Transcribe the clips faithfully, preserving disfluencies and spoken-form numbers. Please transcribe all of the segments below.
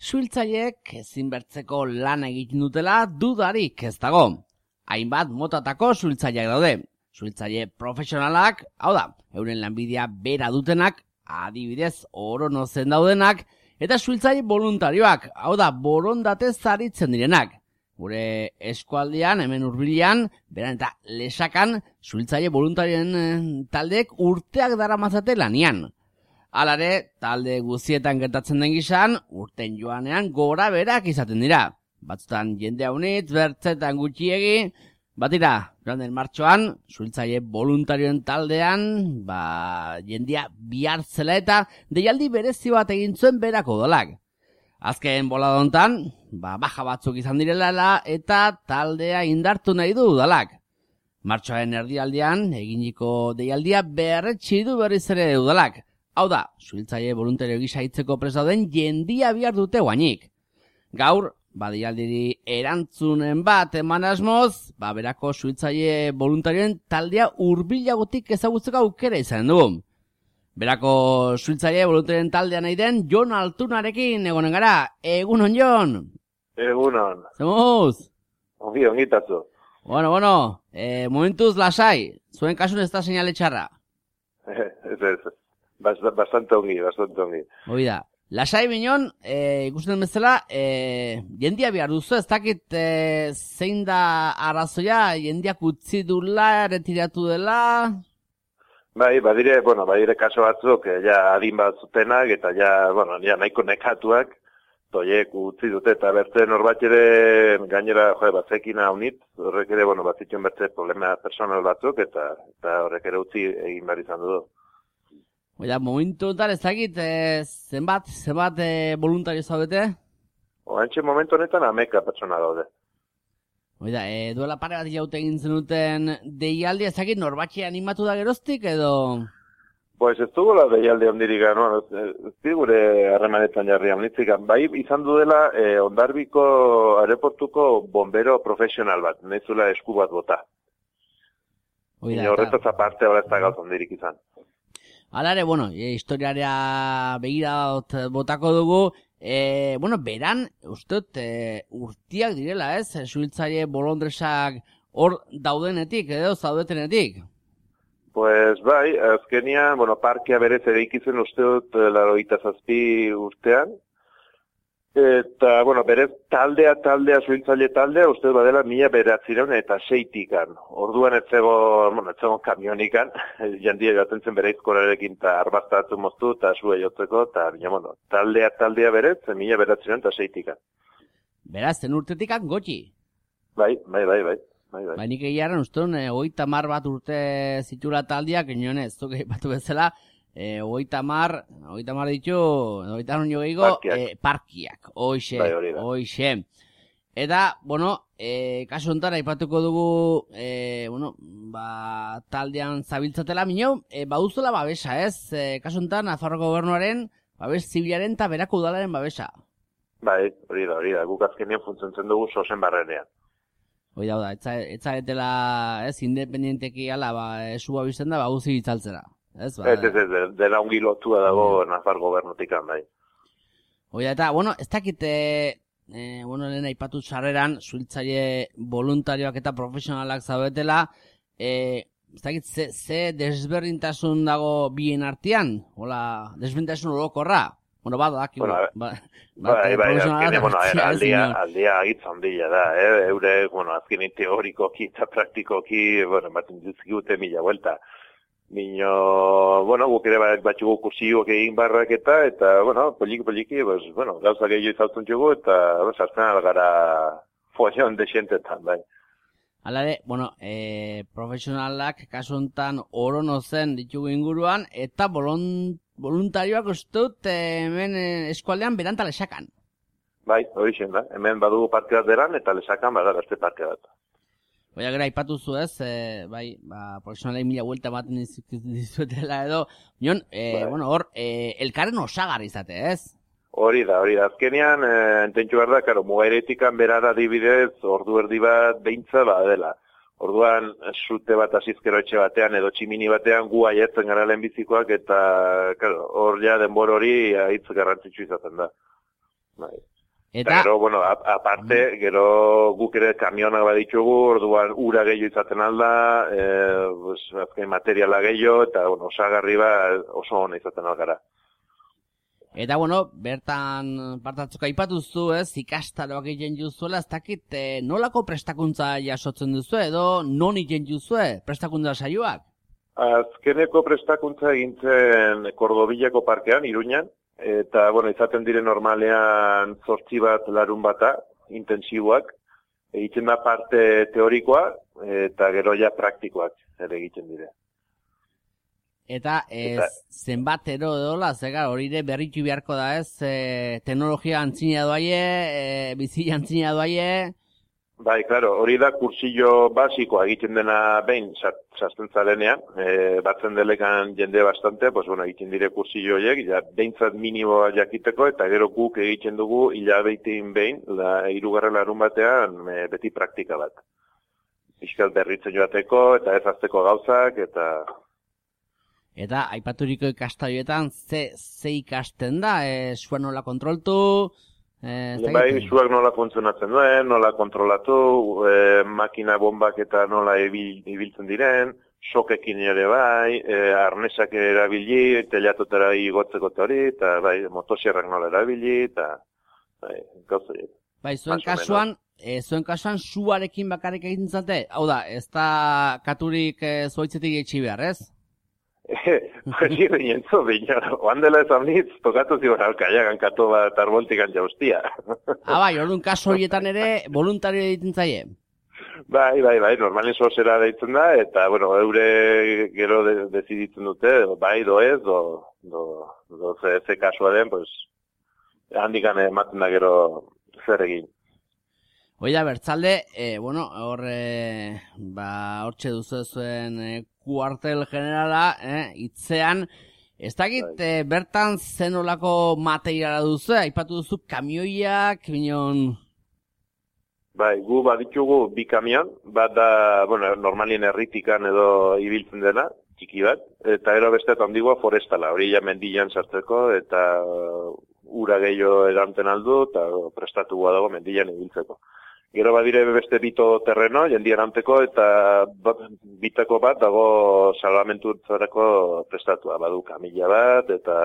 Suhiltzaileek ezinbertzeko lan egiten dutela dudarik ez dago. Hainbat motatako suhiltzaileak daude. Suhiltzaile profesionalak, hau da, euren lanbidea bera dutenak, adibidez oronozen daudenak, eta suhiltzaile voluntarioak, hau da, borondatez aritzen direnak. Gure eskualdean, hemen hurbilean, beran eta lesakan, suhiltzaile voluntarioen taldeek urteak daramatzate lanian. Halare, talde guztietan gertatzen den gizan, urten joanean gora berak izaten dira. Batzutan jende haunitz, bertzetan gutxiegi, batira, joan den martxoan, suhiltzaile voluntarioen taldean, ba, jendia bihar zela eta deialdi berezi bat egin zuen berako dolak. Azken bolada hontan, ba, baja batzuk izan direla eta taldea indartu nahi du udalak. Martxoaren erdialdean, eginiko deialdia berretsi du berriz ere udalak. Hau da, suhiltzaile voluntario gisa hitzeko prest dauden jendia bihar dute guainik. Gaur, ba, deialdiri erantzunen bat eman asmoz, ba, berako suhiltzaile voluntarioen taldea hurbilagotik ezagutzeko aukera izan dugu. Berako suhiltzaile voluntarioen taldea nahi den Jon Altunarekin egonen gara. Egunon, Jon! Egunon. Zemuz? Ongi, ongitatzu. Bueno, bueno, eh, momentuz lasai. Zuen kasun ez da seinale txarra. Ez, ez, Bast, bastante ongi, bastante ongi. Oida, lasai binon, eh, ikusten bezala, eh, jendia behar duzu, ez dakit eh, zein da arrazoia, jendiak utzi dula, retiratu dela... Bai, badire, bueno, badire kaso batzuk, eh, ja adin bat zutenak, eta ja, bueno, ja nahiko nekatuak, toiek utzi dute, eta bertze norbait ere gainera, joe, batzekin haunit, horrek ere, bueno, batzituen bertze problema personal batzuk, eta, eta horrek ere utzi egin behar izan du. Oida, momentu enten ez dakit, eh, zenbat, zenbat eh, voluntario zaudete? Oantxe momentu honetan ameka pertsona daude. Oida, e, duela pare bat jaute egin zenuten deialdi, ez dakit norbatxe animatu da geroztik edo... Pues ez dugu la deialdi ondirik, no? Ez digure harremanetan jarri amnitzik. Bai, izan du dela eh, Ondarbiko aeroportuko bombero profesional bat, nezula esku bat bota. Oida, horretaz aparte hori ez da gauz ondirik izan. Alare, bueno, e, historiarea begira botako dugu, e, bueno, beran, usteot, e, urtiak direla, ez? Suhiltzaile bolondresak hor daudenetik, edo zaudetenetik? Pues bai, azkenian, bueno, parkea berez ere ikizen usteot laurogeita zazpi urtean, eta, bueno, berez taldea, taldea, suhiltzaile taldea, uste badela mila beratzireun eta seitikan. Orduan etzego, bueno, etzego kamionikan, jandia joaten zen bereizkorarekin eta arbaztatu moztu eta sue jotzeko, eta, bueno, taldea, taldea berez, mila beratzireun eta seitikan. Beraz, zen urtetikan gotxi? Bai, bai, bai, bai. Bai, bai. Ba, nik egiaren usteun, e, oita mar bat urte zitula taldiak, inonez, zuke batu bezala, E, oita mar, oita mar ditu, oita non jo gehiago, parkiak, e, parkiak. Oixe, bai, oixe. Eta, bueno, e, kasu honetan aipatuko dugu, e, bueno, ba, taldean zabiltzatela, minio, e, baduzuela babesa, ez? E, kasu honetan, Nafarroko gobernuaren, babes zibilaren eta berako udalaren babesa. Bai, hori da, hori da, guk azkenean funtziontzen dugu sosen barrenean. Hoi da, etza, etza etela, ez, independienteki ala, ba, esu babizten da, ba, guzi bitzaltzera. Ez, ba, ez, ez, ez, dela ongi lotua dago Nafar gobernutik bai. Oida, eta, bueno, ez dakite, e, bueno, lehen aipatu sarreran, suhiltzaile voluntarioak eta profesionalak zaudetela, e, ez dakit, ze, ze desberdintasun dago bien artean? Hola, desberdintasun orokorra? Bueno, bada, daki, bueno, ba, ba, bai, bai, azkenean, bueno, aldia, aldia hitz handia da, eh? Eure, bueno, azkenean teorikoki eta praktikoki, bueno, baten dizkigute mila vuelta. Mino, bueno, guk ere batxugu kursioak egin barrak eta, eta, bueno, poliki-poliki, pues, bueno, gauza gehiago izautzen jugu, eta, pues, azten algara follon de xentetan, bai. Alare, bueno, e, profesionalak kasu honetan orono zen ditugu inguruan, eta bolon, voluntarioak ustut hemen eskualdean beranta lesakan. Bai, hori zen da, hemen badugu parke bat deran, eta lesakan bada beste parke bat. Oia, gara, ipatu zu ez, e, bai, ba, profesionalei mila vuelta baten dizuetela edo, nion, e, bai. Bueno, hor, e, elkarren osagarri izate, ez? Hori da, hori da, azkenean, e, ententxu behar da, karo, mugairetikan berara dibidez, ordu erdi bat beintza, ba, dela. Orduan, zute bat asizkero etxe batean, edo tximini batean, gu aietzen gara lehenbizikoak, eta, karo, hor ja denbor hori hitz garrantzitsu izaten da. Bai. Eta, gero, bueno, aparte, gero guk ere kamionak baditugu, orduan ura gehiago izaten alda, e, pues, azken materiala gehiago, eta, bueno, osagarri ba oso ona izaten algara. Eta, bueno, bertan partatzeko aipatuzu, ez, ikastaroak egiten juzuela, ez dakit, e, nolako prestakuntza jasotzen duzu, edo non egiten juzue prestakuntza saioak? Azkeneko prestakuntza egintzen Kordobillako parkean, Iruñan, eta, bueno, izaten dire normalean zortzi bat larun bata, intensiboak, egiten da parte teorikoa, eta gero ja praktikoak ere egiten dire. Eta, ez, eta zenbat ero edola, zega, hori ere berritu beharko da ez, e, teknologia antzina doaie, e, bizi antzina doaie. Bai, claro, hori da kursillo basikoa egiten dena behin sartzen zarenean, e, batzen delekan jende bastante, pues bueno, egiten dire kursillo horiek, ja, behintzat minimoa jakiteko, eta gero guk egiten dugu hilabetein behin, la, hirugarren larun batean, e, beti praktika bat. Piskat berritzen joateko, eta ez azteko gauzak, eta... Eta, aipaturiko ikastaroetan, ze, ze ikasten da, e, zua nola kontroltu... Eh, bai, zuak nola funtzionatzen duen, nola kontrolatu, e, makina bombak eta nola ebil, ibiltzen diren, sokekin ere bai, e, arnesak erabili, telatotara igotzeko hori, eta bai, motosierrak nola erabili, eta bai, gauza hori. Bai, zuen kasuan, e, zuen kasuan zuarekin bakarrik egiten zate? Hau da, ez da katurik e, zuaitzetik etxi behar, ez? Hori rinentzo, bina, oan dela ez amnitz, tokatu zibar alkaiagan kato bat arboltikan jaustia. Ah, bai, orduan kaso horietan ere, voluntario egiten zaie? Bai, bai, bai, normalen sozera deitzen da, eta, bueno, eure gero de, deziditzen dute, bai, do ez, do, do, do ze, ze kasua den, pues, handikan ematen da gero zer egin. Oida, bertzalde, e, bueno, hor, e, ba, hortxe duzu zuen e, kuartel generala, eh, itzean, ez dakit, e, bertan zenolako materiala duzu, aipatu duzu kamioiak, binon... Bai, gu baditugu bi kamion, bat da, bueno, normalien erritikan edo ibiltzen dena, txiki bat, eta ero beste handigoa forestala, hori ja mendian sartzeko, eta ura gehiago eranten aldu, eta prestatu dago mendian ibiltzeko. Gero badire beste bito terreno, jendi eranteko, eta bitako bat dago salvamentutzarako prestatua. Badu kamila bat, eta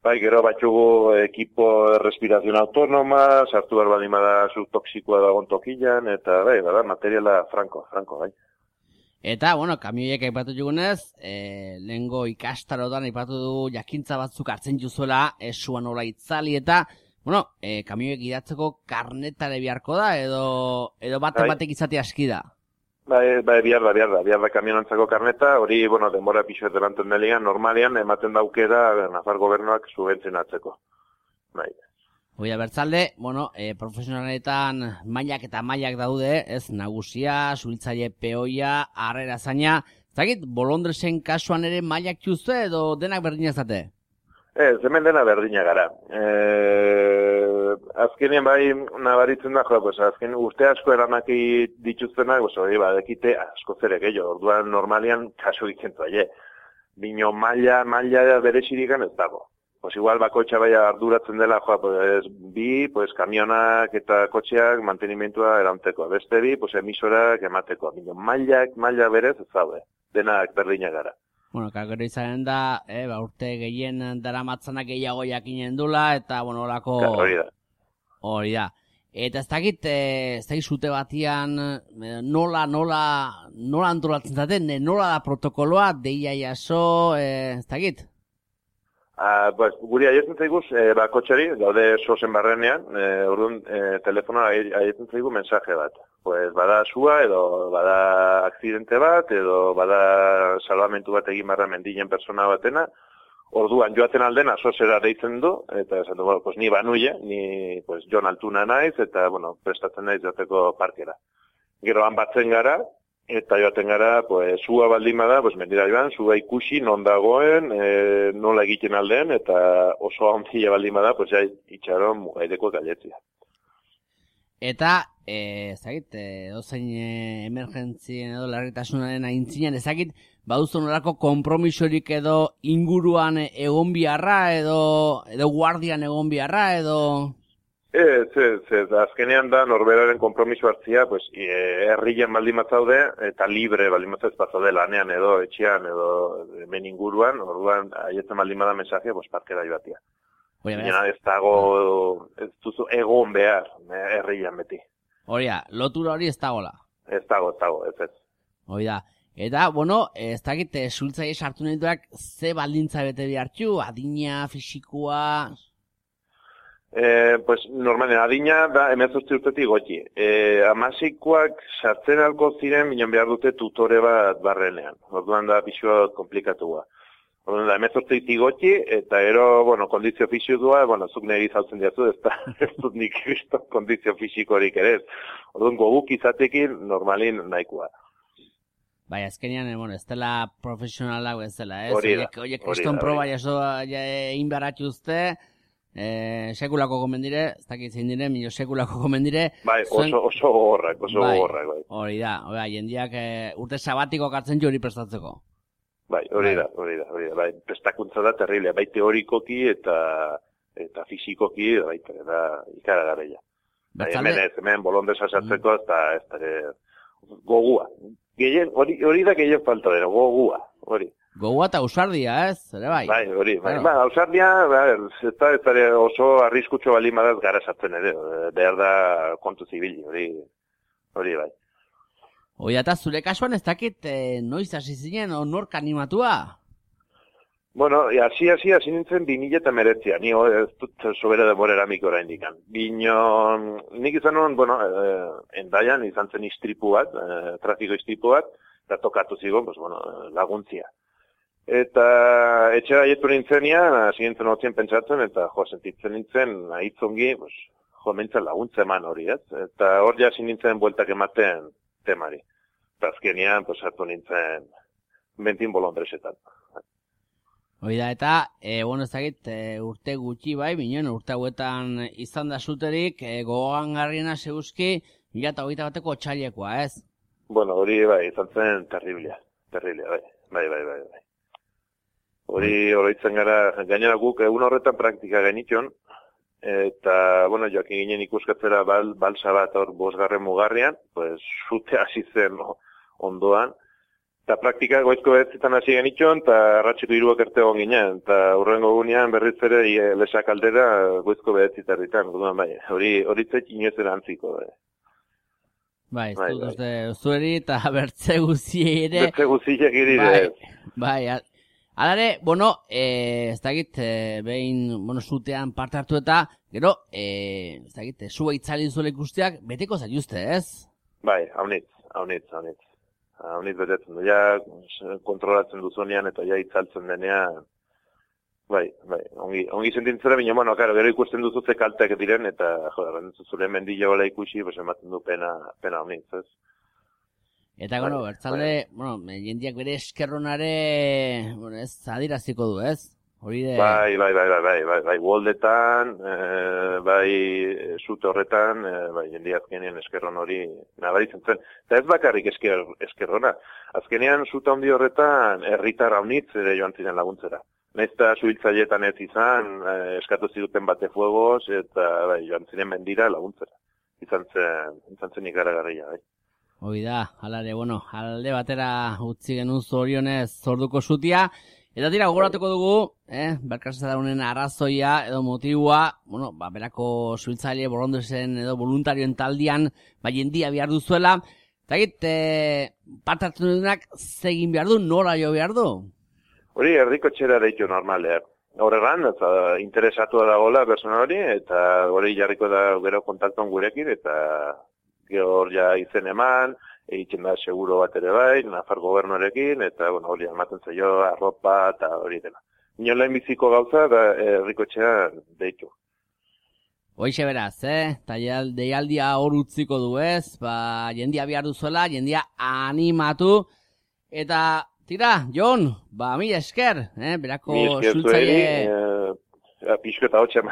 bai, gero batxugu ekipo respirazion autonoma, sartu behar badima da subtoxikoa dagoen tokilan, eta bai, bada, materiala franko, franko, bai. Eta, bueno, kamioiek aipatu jugunez, e, lehengo ikastarotan aipatu du jakintza batzuk hartzen juzuela, esua nola itzali, eta... Bueno, eh, kamioek idatzeko karnetare beharko da, edo, edo batek batek izate aski da? Bai, bai, bihar da, bihar da, bihar da kamionantzako karneta, hori, bueno, denbora pixo delanten deligan, normalian, ematen daukera, Nafar gobernuak subentzionatzeko. Bai. Oia, bertzalde, bueno, eh, profesionaletan mailak eta mailak daude, ez, nagusia, suhiltzaile peoia, harrera zaina, zagit, Bolondresen kasuan ere mailak juzte, edo denak berdina zate? Ez, hemen dena berdina gara. E, azkenien bai nabaritzen da, jo, pues, azken urte asko eramaki dituztenak, pues, hori badekite asko zere gehiago, orduan normalian kaso egiten zaie. Bino maila, maila berexirikan ez dago. Pues igual bakotxa bai arduratzen dela, joa, pues, bi, pues, kamionak eta kotxeak mantenimentua eranteko. Beste bi, pues, emisorak emateko. Bino mailak, maila berez ez daude. Denak berdina gara. Bueno, kakero izanen da, eh, ba, urte gehien dara matzanak gehiago jakinen dula, eta, bueno, horako... Hori da. Hori da. Eta ez dakit, eh, ez dakit zute batian, eh, nola, nola, nola antolatzen zaten, eh, nola da protokoloa, deia jaso, eh, ez dakit? Ah, pues, guri aietzen zaiguz, eh, ba, kotxari, gaude sozen barrenean, eh, orduan, eh, telefonoa aietzen zaigu mensaje bat. Pues, bada sua, edo bada akzidente bat, edo bada salvamentu bat egin barra mendinen persona batena, orduan joaten aldena sozera deitzen du, eta esan du, bueno, pues, ni banuie, ni, pues, Jon Altuna naiz, eta, bueno, prestatzen naiz joateko parkera. Gero han batzen gara, eta joaten gara, pues, zua baldin bada, pues, mendira joan, zua ikusi, non dagoen, e, nola egiten aldean, eta oso hantzile baldin bada, pues, ja, itxaron mugaideko galetzia. Eta, eh, ezagit, edozein eh, emergentzien edo larritasunaren aintzinean, ezagit, baduzu nolako konpromisorik edo inguruan egon biharra, edo, edo guardian egon biharra, edo... Ez, ez, ez, azkenean da norberaren konpromiso hartzia, pues, herrian baldin batzaude, eta libre baldin batzaude ez bazaude lanean edo, etxean edo, hemen inguruan, orduan, haietzen baldin bada mensajea, pues, parkera joatia. Baina ez dago, ez duzu egon behar, herrian beti. Horia, lotura hori ez dagoela. Ez dago, ez dago, ez ez. Hori da. Eta, bueno, ez dakit, zultzaile sartu nahi duak, ze baldintza bete behartxu, adina, fisikoa... Eh, pues, normalen, adina da hemezortzi urtetik goti. Eh, amasikoak sartzen alko ziren, minon behar dute tutore bat barrenean. Orduan da pixua komplikatua. Orduan da hemezortzitik goti, eta ero, bueno, kondizio fisikua, bueno, zuk nire izautzen diazu, ez da, ez dut nik kristo kondizio fisikorik ere ez. Orduan goguk izatekin, normalin nahikoa. Bai, azkenean, bueno, ez dela profesionalak ez dela, ez? Hori da. Oie, kriston proba jaso egin beharratxu uste, Eh, sekulako komendire, ez dakit zein dire, milo sekulako komendire. Bai, oso, zuen... oso gogorrak, oso bai, gogorrak, bai. Hori da, hori jendiak e, urte sabatiko kartzen jo hori prestatzeko. Bai, hori da, hori da, hori da, bai, prestakuntza da terrible, bai teorikoki eta eta fisikoki, bai, da ikaragarria. Bai, hemen ez, hemen bolondesa sartzeko, ez da, ez da, gogua. Gehien, hori, hori da gehien falta dira, gogua, hori. Gogua eta ausardia, ez? Ere bai. Bai, hori, bai. Ba, ausardia, ez da, ez da oso arriskutxo bali madaz gara sartzen ere. Behar da kontu zibili, hori, hori bai. Hoi, eta zure kasuan ez dakit eh, noiz hasi zinen, nork animatua? Bueno, hasi hasi hasi nintzen bi mila eta meretzia, ni ez dut sobera demorera mik oraindik. Bino, nik izan non, bueno, eh, endaian izan zen istripu bat, eh, trafiko istripu bat, eta tokatu zigon, pues, bueno, laguntzia. Eta etxera jetu nintzenian, hasi nintzen hotzien pentsatzen, eta jo, sentitzen nintzen, ahitzongi, pues, jo, mentzen laguntza eman hori, ez? Eta hor ja hasi nintzen bueltak ematen temari. Eta azkenian, pues, hartu nintzen bentin bolondresetan. Hoi da, eta, e, bueno, ez dakit, e, urte gutxi bai, binen, urte hauetan izan da zuterik, e, gogoan garriena zeuzki, mila eta hogeita bateko txailekoa, ez? Bueno, hori bai, izan zen terriblia, terriblia, bai, bai, bai, bai, bai. Hori oroitzen gara, gainera guk egun horretan praktika genitxon, eta, bueno, joakin ginen ikuskatzera bal, balsa bat hor bosgarren mugarrian, pues, zute hasi zen no, ondoan, eta praktika goizko behetzitan hasi genitxon, eta arratxiko hiruak erte egon ginen, eta hurrengo gunean berriz ere lesak aldera goizko behetzitarritan, bai, hori horitzek inoezen antziko, bai. Bai, ez dut uste, zueri eta bertze guzi ere. Bertze guziek irire. Bai, bai, alare, bueno, eh, ez dakit, eh, behin, bueno, zutean parte hartu eta, gero, eh, ez dakit, zua itzali zuela ikusteak, beteko zaituzte, ez? Bai, haunitz, haunitz, haunitz. Haunitz betetzen du, ja, kontrolatzen duzunean eta ja itzaltzen denean, bai, bai, ongi, ongi sentintzera, baina, bueno, karo, gero ikusten duzuze kalteak diren, eta, joder, zure mendila hola ikusi, pues, ematen du pena, pena haunitz, ez? Eta, bueno, bai, bertzalde, bai. Bueno, jendiak bere eskerronare, bueno, ez, adiraziko du, ez? Hori de... Bai, bai, bai, bai, bai, bai, bai, Woldetan, eh, bai, zute horretan, eh, bai, jendia azkenean eskerron hori nabaritzen zen. Eta ez bakarrik esker, eskerrona. Azkenean zute handi horretan herritar haunitz ere joan ziren laguntzera. Naizta suhiltzailetan ez izan, eh, eskatu ziduten bate fuegos, eta bai, joan ziren mendira laguntzera. Izan zen, izan zen ikaragarria, bai. Hoi da, alare, bueno, alde batera utzi genuen zorionez zorduko zutia. Eta tira, gogoratuko dugu, eh, berkaseza daunen arrazoia edo motiua, bueno, ba, berako zuhiltzaile bolondresen edo voluntarioen taldian, ba, jendia behar duzuela. Eta egit, eh, parte hartu duenak zegin behar du, nora jo behar du? Hori, erdiko txera deitu normalean. Horregan, eta interesatua da gola persona hori, eta hori jarriko da gero kontaktuan gurekin, eta gero ja izen eman, egiten da seguro bat ere bai, Nafar gobernuarekin, eta, bueno, hori ematen zaio, arropa, eta hori dela. Inola biziko gauza, da herriko txea deitu. Hoixe beraz, eh? Eta deialdia hor utziko du ez, ba, jendia behar duzuela, jendia animatu, eta, tira, Jon, ba, mila esker, eh? Berako zultzaile... Pixko eta hotxe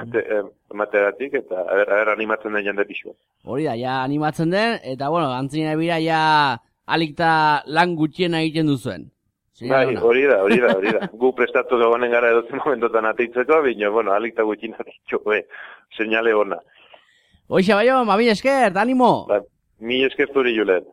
emateratik, eta aber, aber animatzen den jende pixko. Hori da, ja animatzen den, eta, bueno, antzina bira, ja alikta lan gutxiena egiten duzuen. Bai, hori da, hori da, hori da. Gu prestatu gagonen gara edozen momentotan ateitzeko, bino, bueno, alikta gutxiena ditu, eh, señale ona. Hoxe, baio, ma mila esker, animo. Ba, mi esker zuri, Julen.